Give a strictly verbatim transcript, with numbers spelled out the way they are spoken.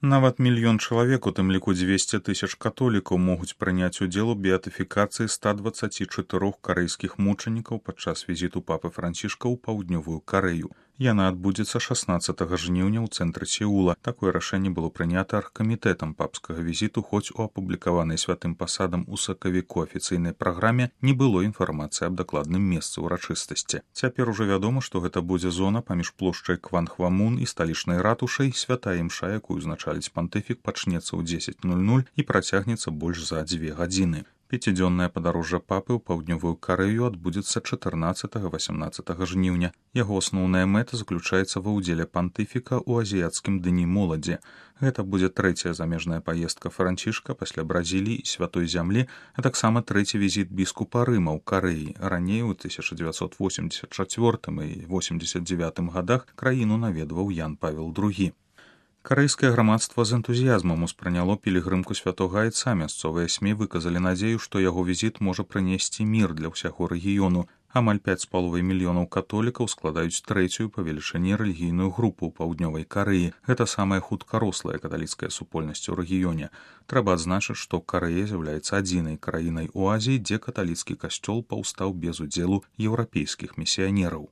Нават мільён чалавек, у тым ліку дзвесце тысяч католікаў, могуць прыняць удзел у беатыфікацыі ста дваццаці чатырох карэйскіх мучанікаў падчас візіту папы Францішка ў паўднёвую Карэю. Яна адбудзецца шаснаццатага жніўня ў цэнтры Сеула. Такое рашэнне было прынята аргкамітэтам папскага візіту, хоць у апублікаванай святым пасадам у сакавіку афіцыйнай праграме не было інфармацыі аб дакладным месцы ўрачыстасці. Цяпер ужо вядома, што гэта будзе зона паміж плошчай Кванхвамун і сталічнай ратушай. Святая імша, якую узначаліць пантыфік, пачнецца ў дзесяць нуль нуль і працягнецца больш за дзве гадзіны. Пяцідзённае падарожжа папы ў паўднёвую Карэю адбудзецца чатырнаццатага-васямнаццатага жніўня. Яго асноўная мэта заключаецца ва ўдзеле пантыфіка ў азіяцкім дні моладзі. Гэта будзе трэцяя замежная паездка Францішка пасля Бразіліі і святой зямлі, а таксама трэці візіт біскупа Рыма ў Карэі. Раней у тысяча дзевяцьсот восемьдесят чацвёртым і восемьдесят девятым гадах краіну наведваў Ян Павел другі. Карэйскае грамадства з энтузіязмам успрыняло пілігрымку святога айца. Мясцовыя СМІ выказалі надзею, што яго візіт можа прынесці мір для ўсяго рэгіёну. Амаль пяць з паловай мільёнаў католікаў складаюць трэцюю па велічыні рэлігійную групу ў паўднёвай Карэі. Гэта самая хутка рослая каталіцкая супольнасць у рэгіёне. Трэба адзначыць, што Карэя з'яўляецца адзінай краінай у Азіі, дзе каталіцкі касцёл паўстаў без удзелу еўрапейскіх місіянераў.